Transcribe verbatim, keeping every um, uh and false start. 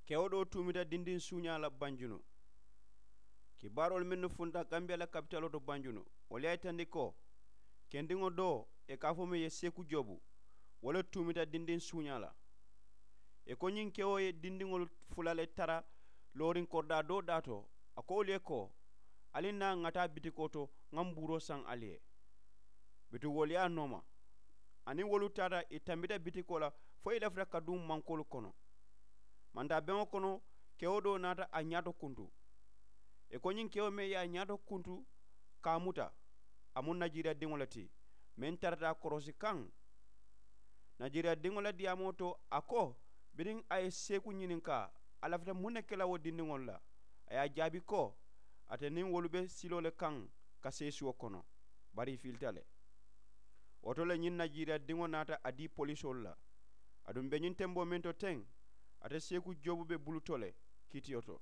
Kewo doo tuumita dindiŋ suuñaa la banjunu. Kibaaroolu mennu funta gambiya la kapitaloo to banjunu, wolu ye a yitandi ko kendiŋo doo ì ka a fo meŋ ye seeku joobu, wo le tuumita dindiŋ suuñaa la. Ì ko ñiŋ kewo ye dindiŋolu fula le tara looriŋ koridaa doo daa to, a ko wolu ye ko, ali naa ŋa taa bitikoo to, ŋa mbuuroo saŋ ali ye. Bituŋ wolu ye a nooma, aniŋ wolu taata ì tambita bitikoo la fo ì lafita ka duŋ mankoolu kono. Mantaabeŋo kono, kewo doo naata a ñaato kuntu. Ì ko ñiŋ kewo meŋ ye a ñaato kuntu ka a muta, a mu najiriya diŋo le ti meŋ tarata a korosi kaŋ. Najiriya diŋo la diyaamoo to, a ko biriŋ a ye seeku ñininkaa, a lafita muŋ ne ke la wo dindiŋolu la? A ye a jaabi ko ate niŋ wolu be siloo le kaŋ ka seesuwo kono, bari ì filita le. Wo to le ñiŋ najiriya diŋo naata a dii polisoolu la. Aduŋ be ñiŋ temboo meŋ to teŋ, ate seeku joobu be bulu to le kiitiyo to.